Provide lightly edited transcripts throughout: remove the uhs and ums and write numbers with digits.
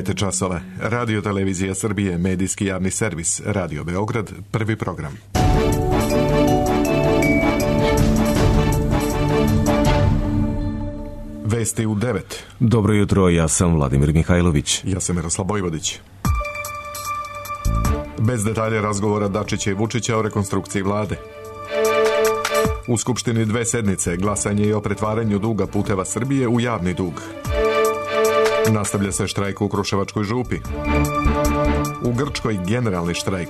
9 časova. Radio Televizija Srbije, medijski javni servis, Radio Beograd, prvi program. Vesti u 9. Dobro jutro, ja sam Vladimir Mihajlović. Ja sam Miroslav Bojvodić. Bez detalja razgovora Dačića i Vučića o rekonstrukciji vlade. U Skupštini 2 sednice, glasanje i o pretvaranju duga Puteva Srbije u javni dug. Nastavlja se štrajk u Kruševačkoj župi. U Grčkoj generalni štrajk.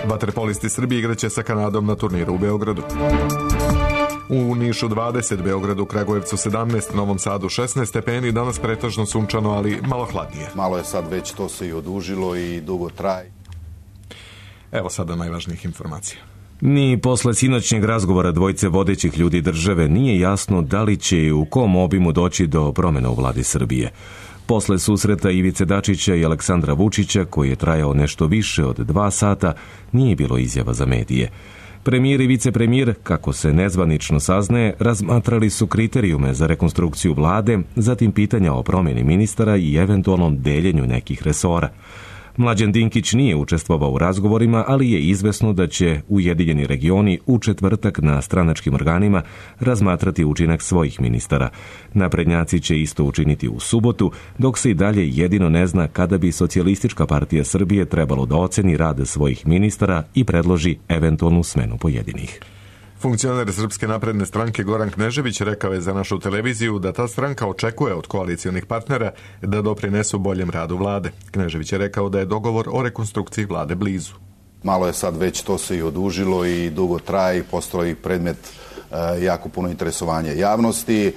Vaterpolisti Srbije igraće sa Kanadom na turniru u Beogradu. U Nišu 20, Beogradu, Kragujevcu 17, Novom Sadu 16 stepeni, danas pretežno sunčano, ali malo hladnije. Malo je sad već, to se i odužilo i dugo traje. Evo sada najvažnijih informacija. Ni posle sinoćnjeg razgovora dvojice vodećih ljudi države nije jasno da li će i u kom obimu doći do promjena u vladi Srbije. Posle susreta Ivice Dačića i Aleksandra Vučića, koji je trajao nešto više od 2 sata, nije bilo izjava za medije. Premijer i vicepremijer, kako se nezvanično saznaje, razmatrali su kriterijume za rekonstrukciju vlade, zatim pitanja o promjeni ministara i eventualnom deljenju nekih resora. Mlađan Dinkić nije učestvovao u razgovorima, ali je izvesno da će Ujedinjeni regioni u četvrtak na stranačkim organima razmatrati učinak svojih ministara. Naprednjaci će isto učiniti u subotu, dok se i dalje jedino ne zna kada bi Socijalistička partija Srbije trebalo da oceni rad svojih ministara i predloži eventualnu smenu pojedinih. Funkcioner Srpske napredne stranke Goran Knežević rekao je za našu televiziju da ta stranka očekuje od koalicionih partnera da doprinesu boljem radu vlade. Knežević je rekao da je dogovor o rekonstrukciji vlade blizu. Malo je sad već, to se i odužilo i dugo traje i postao i predmet jako puno interesovanja javnosti.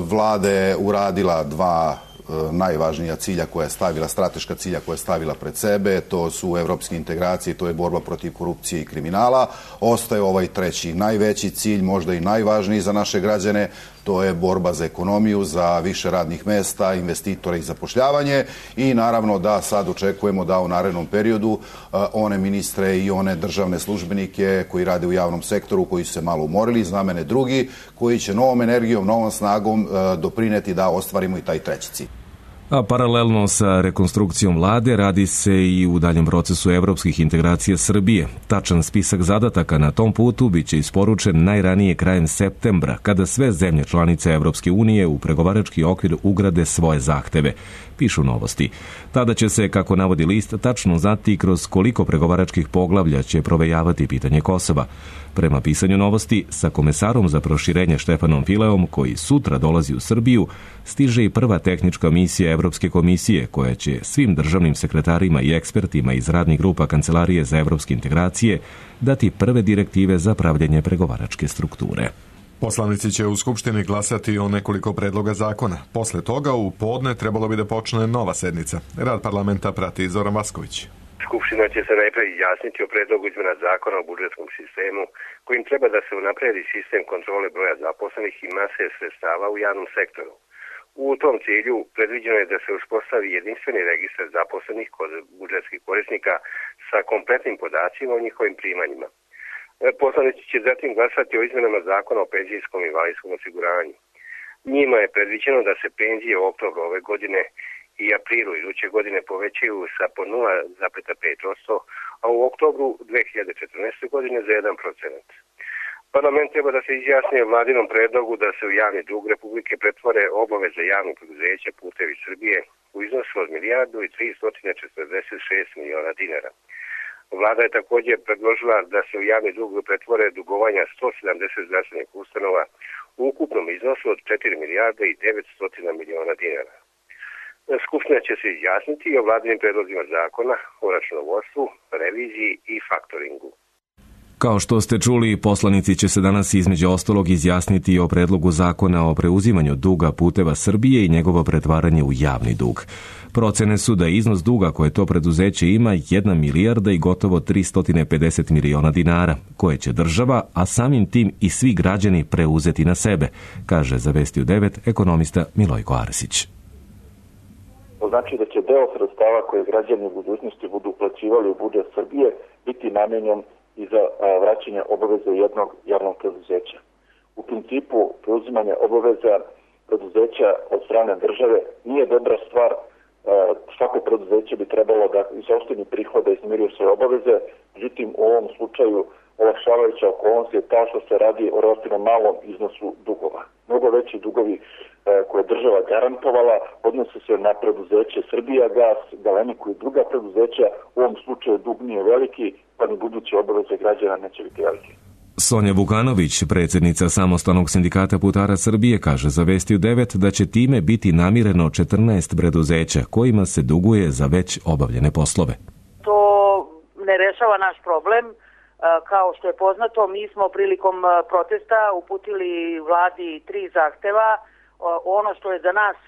Vlada je uradila 2 najvažnija cilja koja je stavila, strateška cilja koja je stavila pred sebe, to su evropske integracije, to je borba protiv korupcije i kriminala. Ostaje ovaj treći, najveći cilj, možda i najvažniji za naše građane, to je borba za ekonomiju, za više radnih mesta, investitore i zapošljavanje i naravno da sad očekujemo da u narednom periodu one ministre i one državne službenike koji rade u javnom sektoru, koji su se malo umorili, zamene drugi, koji će novom energijom, novom snagom doprineti da ostvarimo i taj treći cilj. A paralelno sa rekonstrukcijom vlade radi se i u daljem procesu evropskih integracija Srbije. Tačan spisak zadataka na tom putu biće isporučen najranije krajem septembra, kada sve zemlje članice Evropske unije u pregovarački okvir ugrade svoje zahteve, pišu Novosti. Tada će se, kako navodi list, tačno znati kroz koliko pregovaračkih poglavlja će provejavati pitanje Kosova. Prema pisanju Novosti, sa komesarom za proširenje Štefanom Fileom, koji sutra dolazi u Srbiju, stiže i prva tehnička misija Evropske komisije, koja će svim državnim sekretarima i ekspertima iz radnih grupa Kancelarije za evropske integracije dati prve direktive za pravljenje pregovaračke strukture. Poslanici će u Skupštini glasati o nekoliko predloga zakona. Posle toga u podne trebalo bi da počne nova sednica. Rad parlamenta prati Zoran Vasković. Skupština će se najpre izjasniti o predlogu izmena zakona o budžetskom sistemu, kojim treba da se unapredi sistem kontrole broja zaposlenih i mase sredstava u javnom sektoru. U tom cilju predviđeno je da se uspostavi jedinstveni registar zaposlenih kod budžetskih korisnika sa kompletnim podacima o njihovim primanjima. Poslanici će zatim glasati o izmenama zakona o penzijskom i invalidskom osiguranju. Njima je predviđeno da se penzije u oktobru ove godine i aprilu iduće godine povećaju sa po 0,5%, a u oktobru 2014. godine za 1%. Parlament treba da se izjasni o vladinom predlogu da se u javni dug Republike pretvore obaveze javnog preduzeća Putevi Srbije u iznosu od 1.346 miliona dinara. Vlada je također predložila da se u javni dug pretvore dugovanja 170 zdravstvenih ustanova u ukupnom iznosu od 4.900 miliona dinara. Skupština će se izjasniti o vladinim predlozima zakona o računovodstvu, reviziji i faktoringu. Kao što ste čuli, poslanici će se danas između ostalog izjasniti o predlogu zakona o preuzimanju duga Puteva Srbije i njegovo pretvaranje u javni dug. Procene su da iznos duga koje to preduzeće ima 1 milijarda i gotovo 350 miliona dinara, koje će država, a samim tim i svi građani preuzeti na sebe, kaže za Vesti u 9 ekonomista Milojko Arsić. To znači da će deo sredstava koje građani u budućnosti budu uplaćivali u budžet Srbije biti namenjen i za vraćanje obaveza jednog javnog preduzeća. U principu, preuzimanje obaveza preduzeća od strane države nije dobra stvar svako preduzeće bi trebalo da iz sopstvenih prihoda izmiruju svoje obaveze, međutim u ovom slučaju olakšavajuća okolnost je ta što se radi o relativno malom iznosu dugova. Mnogo veći dugovi koje je država garantovala odnose se na preduzeće Srbijagas, Galeniku i druga preduzeća. U ovom slučaju dug nije veliki, pa ni buduće obaveze građana neće biti veliki. Sonja Vukanović, predsjednica Samostalnog sindikata putara Srbije, kaže za Vesti u 9 da će time biti namireno 14 preduzeća kojima se duguje za već obavljene poslove. To ne rešava naš problem. Kao što je poznato, mi smo prilikom protesta uputili vladi 3 zahteva. Ono što je za nas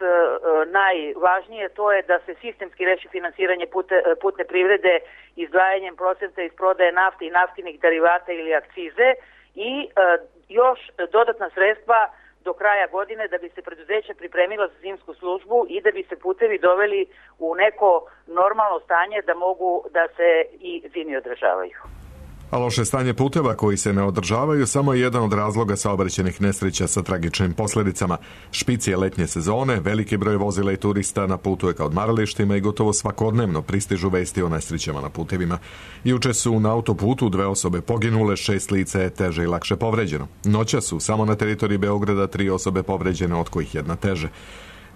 najvažnije, to je da se sistemski reši finansiranje putne privrede izdvajanjem procenta iz prodaje nafte i naftinih derivata ili akcize i još dodatna sredstva do kraja godine da bi se preduzeća pripremila za zimsku službu i da bi se putevi doveli u neko normalno stanje da mogu da se i zimi održavaju. A loše stanje puteva koji se ne održavaju samo je jedan od razloga saobraćajnih nesreća sa tragičnim posljedicama. Špic je letnje sezone, veliki broj vozila i turista na putu je ka odmaralištima i gotovo svakodnevno pristižu vesti o nesrećama na putevima. Juče su na autoputu 2 osobe poginule, 6 lica je teže i lakše povređeno. Noća su samo na teritoriji Beograda 3 osobe povređene, od kojih 1 teže.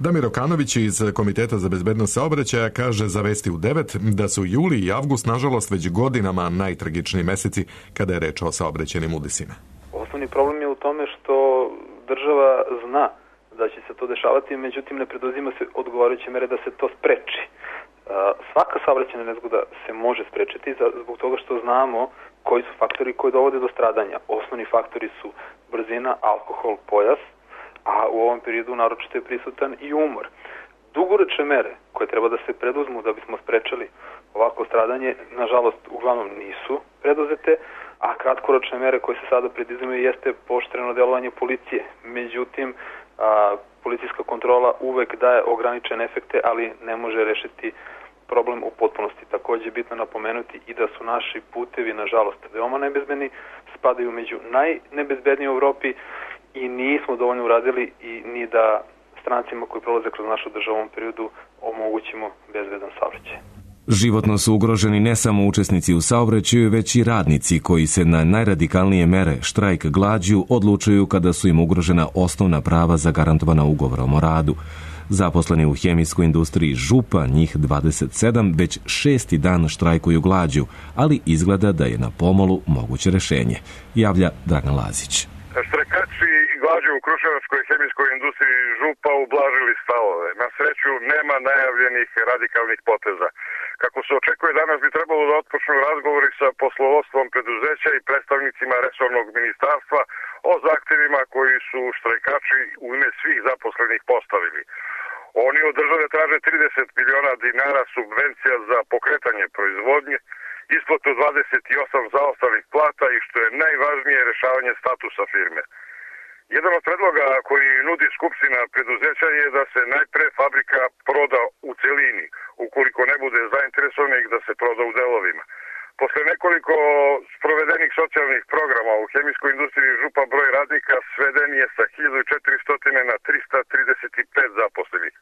Damir Okanović iz Komiteta za bezbednost saobraćaja kaže za Vesti u 9 da su juli i avgust nažalost već godinama najtragičniji meseci kada je reč o saobraćajnim udesima. Osnovni problem je u tome što država zna da će se to dešavati, međutim ne preduzima se odgovarajuće mere da se to spreči. Svaka saobraćajna nezgoda se može sprečiti zbog toga što znamo koji su faktori koji dovode do stradanja. Osnovni faktori su brzina, alkohol, pojas, a u ovom periodu naročito je prisutan i umor. Dugoročne mere koje treba da se preduzmu da bismo sprečali ovako stradanje, nažalost, uglavnom nisu preduzete, a kratkoročne mere koje se sada preduzimaju jeste pooštreno delovanje policije. Međutim, policijska kontrola uvek daje ograničene efekte, ali ne može rešiti problem u potpunosti. Takođe je bitno napomenuti i da su naši putevi, nažalost, veoma nebezbedni, spadaju među najnebezbedniji u Evropi, i nismo dovoljno uradili i ni da strancima koji prolaze kroz našu državu u ovom periodu omogućimo bezbedan saobraćaj. Životno su ugroženi ne samo učesnici u saobraćaju, već i radnici koji se na najradikalnije mere, štrajk glađu, odlučuju kada su im ugrožena osnovna prava zagarantovana ugovorom o radu. Zaposleni u hemijskoj industriji Župa, njih 27, već 6. dan štrajkuju glađu, ali izgleda da je na pomolu moguće rešenje, javlja Dragan Lazić. Štrajkači glađu u Kruševačkoj hemijskoj industriji Župa ublažili stavove. Na sreću nema najavljenih radikalnih poteza. Kako se očekuje, danas bi trebalo da otpočnu razgovori sa poslovodstvom preduzeća i predstavnicima resornog ministarstva o zahtevima koji su štrajkači u ime svih zaposlenih postavili. Oni od države traže 30 miliona dinara subvencija za pokretanje proizvodnje, isplatu 28 zaostalih plata i što je najvažnije rešavanje statusa firme. Jedan od predloga koji nudi Skupština preduzeća je da se najpre fabrika proda u celini, ukoliko ne bude zainteresovanih da se proda u delovima. Posle nekoliko sprovedenih socijalnih programa u hemijskoj industriji Župa broj radnika sveden je sa 1400 na 335 zaposlenih.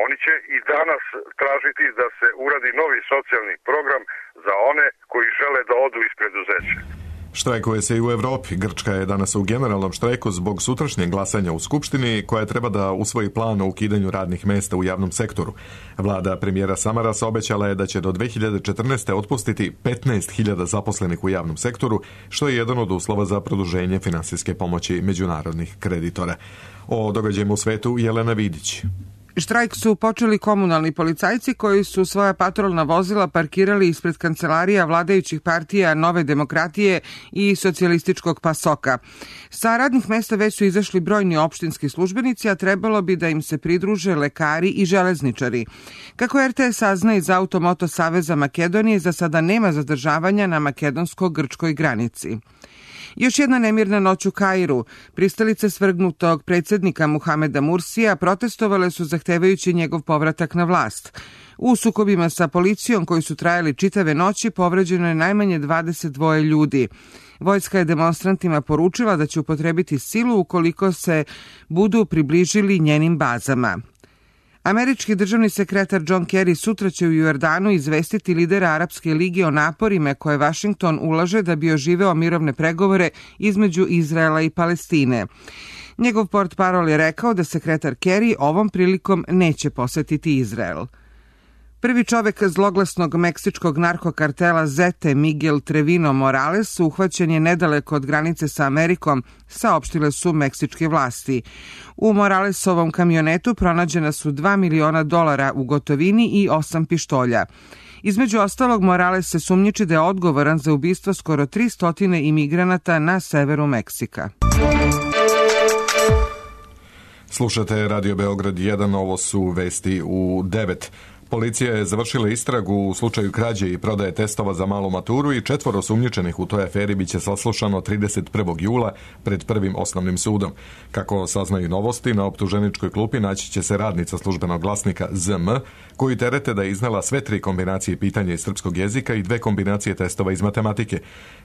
Oni će i danas tražiti da se uradi novi socijalni program za one koji žele da odu iz preduzeća. Štrajkuje se i u Evropi. Grčka je danas u generalnom štrajku zbog sutrašnjeg glasanja u Skupštini, koja treba da usvoji plan o ukidanju radnih mesta u javnom sektoru. Vlada premijera Samaras obećala je da će do 2014. otpustiti 15.000 zaposlenih u javnom sektoru, što je jedan od uslova za produženje finansijske pomoći međunarodnih kreditora. O događajima u svetu Jelena Vidić. Štrajk su počeli komunalni policajci koji su svoja patrolna vozila parkirali ispred kancelarija vladajućih partija Nove demokratije i socijalističkog PASOK-a. Sa radnih mesta već su izašli brojni opštinski službenici, a trebalo bi da im se pridruže lekari i železničari. Kako RTS sazna iz Automoto Saveza Makedonije, za sada nema zadržavanja na makedonsko-grčkoj granici. Još jedna nemirna noć u Kairu. Pristalice svrgnutog predsjednika Muhameda Mursija protestovale su zahtevajući njegov povratak na vlast. U sukobima sa policijom koji su trajali čitave noći povređeno je najmanje 22 ljudi. Vojska je demonstrantima poručila da će upotrebiti silu ukoliko se budu približili njenim bazama. Američki državni sekretar John Kerry sutra će u Jordanu izvestiti lidera Arapske lige o naporima koje Vašington ulaže da bi oživeo mirovne pregovore između Izraela i Palestine. Njegov portparol je rekao da sekretar Kerry ovom prilikom neće posetiti Izrael. Prvi čovek zloglasnog meksičkog narkokartela Zete, Miguel Trevino Morales, uhvaćen je nedaleko od granice sa Amerikom, saopštile su meksičke vlasti. U Moralesovom kamionetu pronađena su $2 miliona u gotovini i 8 pištolja. Između ostalog, Morales se sumnjiči da je odgovoran za ubistvo skoro 300 imigranata na severu Meksika. Slušate Radio Beograd 1, ovo su vesti u 9. Policija je završila istragu u slučaju krađe i prodaje testova za malu maturu i 4 osumnjičenih u toj aferi biće saslušano 31. jula pred prvim osnovnim sudom. Kako saznaju Novosti, na optuženičkoj klupi naći će se radnica Službenog glasnika ZM, koji terete da je iznela sve 3 kombinacije pitanja iz srpskog jezika i 2 kombinacije testova iz matematike.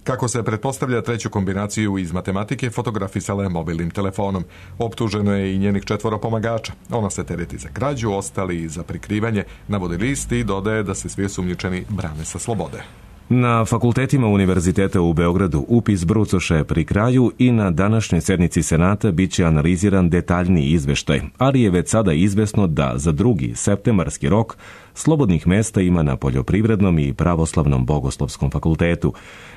Kako se pretpostavlja, 3. kombinaciju iz matematike fotografisala je mobilnim telefonom. Optuženo je i njenih 4 pomagača. Ona se tereti za krađu, ostali za prikrivanje, navodi list i dodaje da se svi osumnjičeni brane sa slobode. Na fakultetima Univerziteta u Beogradu upis brucoše pri kraju i na današnjoj sednici Senata biće analiziran detaljniji izveštaj, ali je već sada izvesno da za 2. septembarski rok slobodnih mesta ima na Poljoprivrednom i Pravoslavnom Bogoslovskom fakultetu.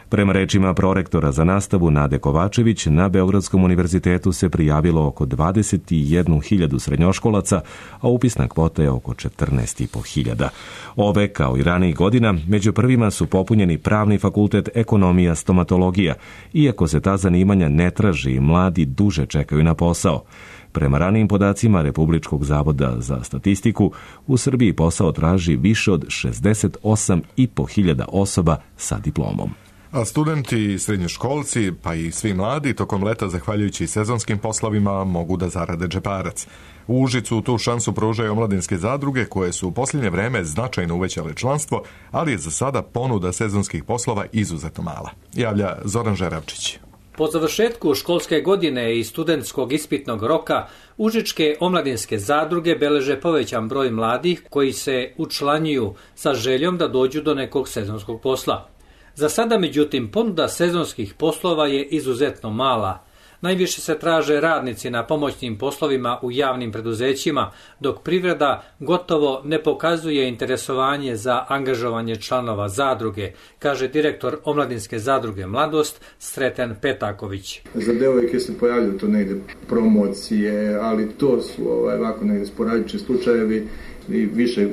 Prema rečima prorektora za nastavu Nade Kovačević, na Beogradskom univerzitetu se prijavilo oko 21.000 srednjoškolaca, a upisna kvota je oko 14.500. Ove, kao i ranijih godina, među prvima su popunjeni Pravni fakultet, Ekonomija, Stomatologija, iako se ta zanimanja ne traži i mladi duže čekaju na posao. Prema ranijim podacima Republičkog zavoda za statistiku, u Srbiji posao traži više od 68.500 osoba sa diplomom. A studenti i srednjoškolci, pa i svi mladi, tokom leta, zahvaljujući sezonskim poslovima, mogu da zarade džeparac. U Užicu tu šansu pružaju omladinske zadruge koje su u posljednje vreme značajno uvećale članstvo, ali je za sada ponuda sezonskih poslova izuzetno mala. Javlja Zoran Žeravčić. Po završetku školske godine i studentskog ispitnog roka, užičke omladinske zadruge beleže povećan broj mladih koji se učlanjuju sa željom da dođu do nekog sezonskog posla. Za sada, međutim, ponuda sezonskih poslova je izuzetno mala. Najviše se traže radnici na pomoćnim poslovima u javnim preduzećima, dok privreda gotovo ne pokazuje interesovanje za angažovanje članova zadruge, kaže direktor omladinske zadruge Mladost Sreten Petaković. Za devojke se pojavljaju to negde promocije, ali to su ovako negde sporadični slučajevi i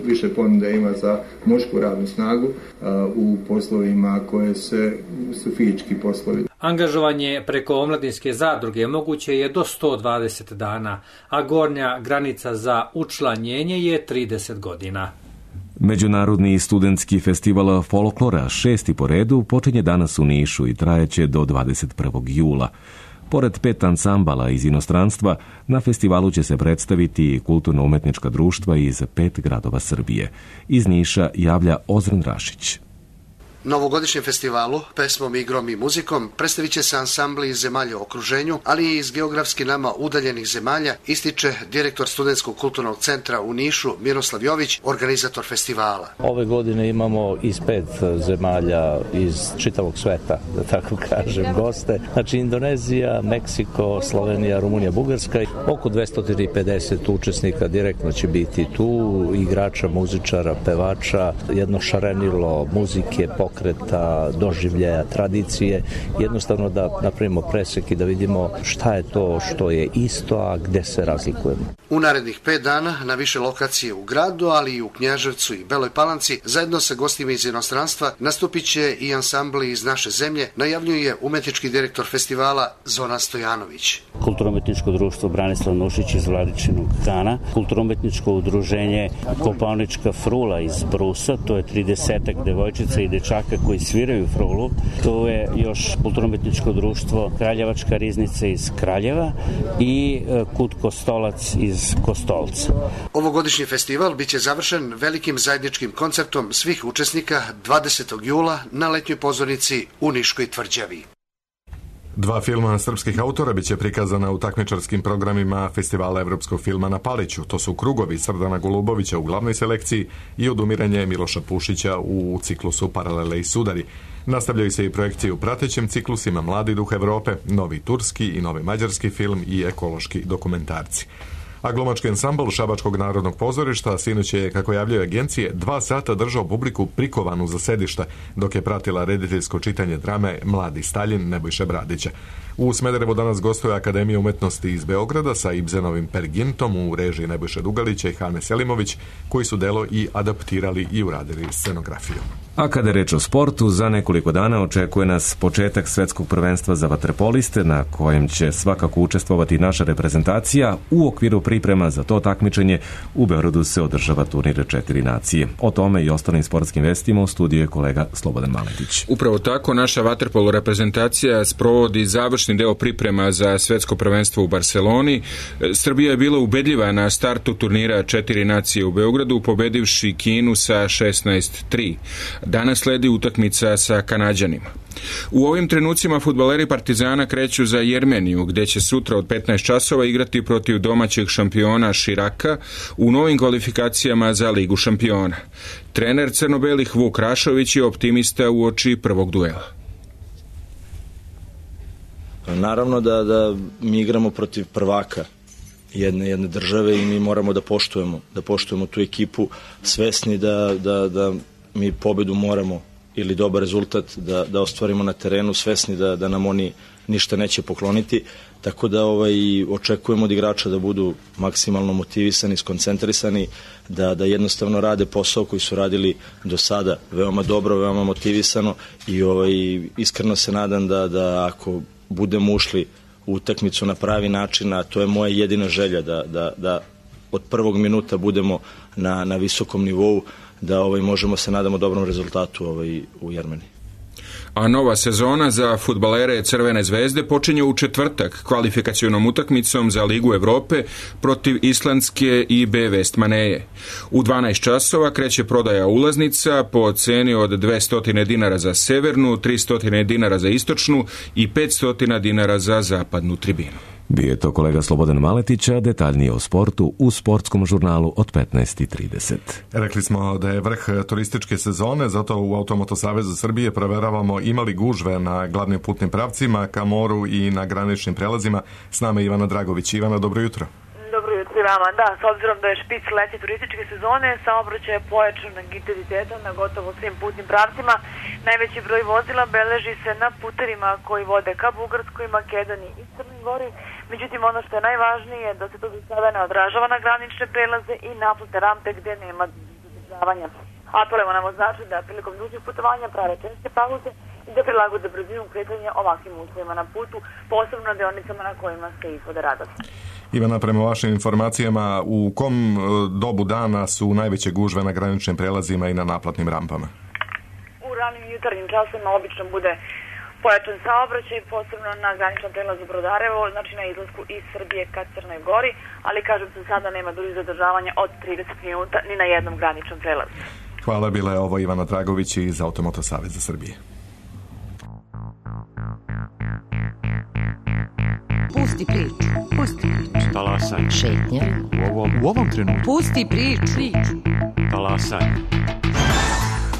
više ponude ima za mušku radnu snagu u poslovima koje su fizički poslovi. Angažovanje preko omladinske zadruge moguće je do 120 dana, a gornja granica za učlanjenje je 30 godina. Međunarodni studentski festival folklora, 6. po redu, počinje danas u Nišu i trajeće do 21. jula. Pored 5 ansambala iz inostranstva, na festivalu će se predstaviti kulturno-umetnička društva iz 5 gradova Srbije. Iz Niša javlja Ozren Rašić. Novogodišnjem festivalu, pesmom, igrom i muzikom predstavit će se ansambli iz zemalja u okruženju, ali i iz geografski nama udaljenih zemalja, ističe direktor Studentskog kulturnog centra u Nišu Miroslav Jović, organizator festivala. Ove godine imamo iz 5 zemalja iz čitavog sveta, da tako kažem, goste. Znači Indonezija, Meksiko, Slovenija, Rumunija, Bugarska. Oko 250 učesnika direktno će biti tu, igrača, muzičara, pevača, jedno šarenilo muzike, pokreta, doživljaja, tradicije, jednostavno da napravimo presek i da vidimo šta je to što je isto, a gde se razlikujemo. U narednih 5 dana na više lokacije u gradu, ali i u Knjaževcu i Beloj Palanci, zajedno sa gostima iz inostranstva, nastupit će i ansambli iz naše zemlje, najavljuje umetnički direktor festivala Zoran Stojanović. Kulturno-umetničko društvo Branislav Nušić iz Vladičinog Kana, kulturno-umetničko udruženje Kopaonička frula iz Brusa, to je 30 devojčica i dečaka koji sviraju frulu. To je još kulturno-umetničko društvo Kraljevačka riznica iz Kraljeva i Kut Kostolac iz Kostolca. Ovogodišnji festival biće završen velikim zajedničkim koncertom svih učesnika 20. jula na letnjoj pozornici u Niškoj tvrđavi. 2 filma srpskih autora biće prikazana u takmičarskim programima Festivala evropskog filma na Paliću. To su Krugovi Srdana Golubovića u glavnoj selekciji i Odumiranje Miloša Pušića u ciklusu Paralele i sudari. Nastavljaju se i projekcije u pratećim ciklusima Mladi duh Evrope, novi turski i novi mađarski film i ekološki dokumentarci. A glumački ansambl Šabačkog narodnog pozorišta sinoć je, kako javljaju agencije, 2 sata držao publiku prikovanu za sedišta, dok je pratila rediteljsko čitanje drame Mladi Staljin Nebojše Bradića. U Smederevu danas gostuje Akademija umetnosti iz Beograda sa Ibzenovim Pergintom u režiji Nebojše Dugalića i Hane Selimović, koji su delo i adaptirali i uradili scenografiju. A kada je reč o sportu, za nekoliko dana očekuje nas početak svetskog prvenstva za vaterpoliste, na kojem će svakako učestvovati naša reprezentacija. U okviru priprema za to takmičenje u Beogradu se održava turnir 4 nacije. O tome i ostalim sportskim vestima u studiju je kolega Slobodan Maletić. Upravo tako, naša vaterpolo reprezentacija sprovodi završni deo priprema za svetsko prvenstvo u Barseloni. Srbija je bila ubedljiva na startu turnira 4 nacije u Beogradu, pobedivši Kinu sa 16-3. Danas sledi utakmica sa Kanađanima. U ovim trenucima fudbaleri Partizana kreću za Jermeniju, gde će sutra od 15 časova igrati protiv domaćeg šampiona Širaka u novim kvalifikacijama za Ligu šampiona. Trener crno-belih Vuk Rašović je optimista uoči prvog duela. Naravno da mi igramo protiv prvaka jedne države i mi moramo da poštujemo tu ekipu, svesni da mi pobedu moramo ili dobar rezultat da ostvarimo na terenu, svesni da nam oni ništa neće pokloniti, tako da očekujemo od igrača da budu maksimalno motivisani, skoncentrisani, da jednostavno rade posao koji su radili do sada veoma dobro, veoma motivisano i iskreno se nadam da ako budemo ušli u utakmicu na pravi način, a to je moja jedina želja, da od prvog minuta budemo na visokom nivou, da možemo se nadamo dobrom rezultatu u Jermeniji. A nova sezona za fudbalere Crvene zvezde počinje u četvrtak kvalifikacionom utakmicom za Ligu Evrope protiv islandske IB Vestmaneje. U 12 časova kreće prodaja ulaznica po ceni od 200 dinara za severnu, 300 dinara za istočnu i 500 dinara za zapadnu tribinu. Bio je to kolega Slobodan Maletić, a detaljnije o sportu u sportskom žurnalu od 15:30. Rekli smo da je vrh turističke sezone, zato u Automoto Savezu Srbije proveravamo imali gužve na glavnim putnim pravcima ka moru i na graničnim prelazima. S nama je Ivana Dragović. Ivana, dobro jutro. Dobro jutro vama. Da, s obzirom da je špic letnje turističke sezone, saobraćaj je pojačan intenzitetom na gotovo svim putnim pravcima. Najveći broj vozila beleži se na putevima koji vode ka Bugarskoj, Makedoniji i Crnoj Gori. Međutim, ono što je najvažnije je da se to do sada ne odražava na granične prelaze i naplatne rampe gde nema zadržavanja. Apelujemo na vozače da prilikom dužih putovanja prave česte pauze i da prilagode brzinu kretanja ovakvim uslovima na putu, posebno na deonicama na kojima se izvode radovi. Ivana, prema vašim informacijama, u kom dobu dana su najveće gužve na graničnim prelazima i na naplatnim rampama? U ranim jutarnjim časima obično bude pojačan saobraćaj, posebno na graničnom prelazu Brodarevo, znači na izlasku iz Srbije ka Crnoj Gori, ali kažem se sada nema dužih zadržavanja od 30 minuta ni na jednom graničnom prelazu. Hvala, bila je ovo Ivana Dragović iz Automoto Saveza Srbije. Pusti priču. Talasaj. Šetnja. U ovom trenutku. Pusti priču. Talasaj.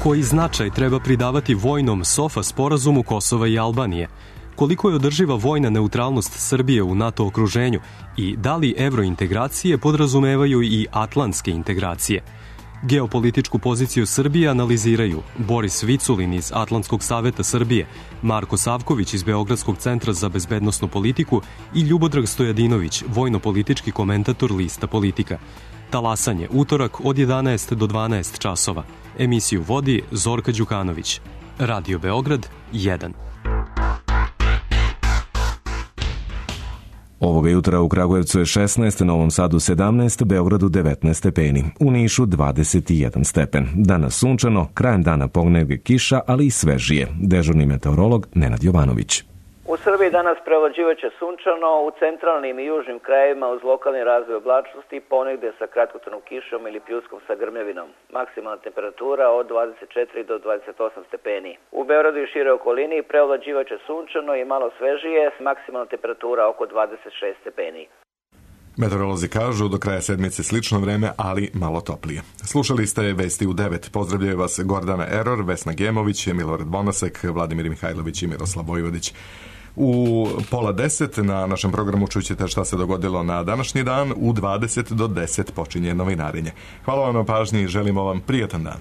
Koji značaj treba pridavati vojnom SOFA sporazumu Kosova i Albanije? Koliko je održiva vojna neutralnost Srbije u NATO okruženju i da li evrointegracije podrazumevaju i atlantske integracije? Geopolitičku poziciju Srbije analiziraju Boris Viculin iz Atlantskog saveta Srbije, Marko Savković iz Beogradskog centra za bezbednosnu politiku i Ljubodrag Stojadinović, vojno-politički komentator lista Politika. Talasanje, utorak od 11 do 12 časova. Emisiju vodi Zorka Đukanović. Radio Beograd 1. Ovoga jutra u Kragujevcu je 16, Novom Sadu 17, Beogradu 19 stepeni, u Nišu 21 stepen. Danas sunčano, krajem dana ponedeljak kiša, ali i svežije. Dežurni meteorolog Nenad Jovanović. U Srbiji danas prevlađivaće sunčano, u centralnim i južnim krajevima uz lokalni razvoj oblačnosti, ponegde sa kratkotrajnom kišom ili pljuskom sa grmljavinom. Maksimalna temperatura od 24 do 28 stepeni. U Beogradu i šire okolini prevlađivaće sunčano i malo svežije, maksimalna temperatura oko 26 stepeni. Meteorolozi kažu do kraja sedmice slično vreme, ali malo toplije. Slušali ste Vesti u 9. Pozdravljaju vas Gordana Eror, Vesna Gemović, Milorad Bonasek, Vladimir Mihajlović i Miroslav Vojvodić. U 9:30 na našem programu čućete šta se dogodilo na današnji dan. U 20 do 10 počinje novinarenje. Hvala vam na pažnji i želimo vam prijatan dan.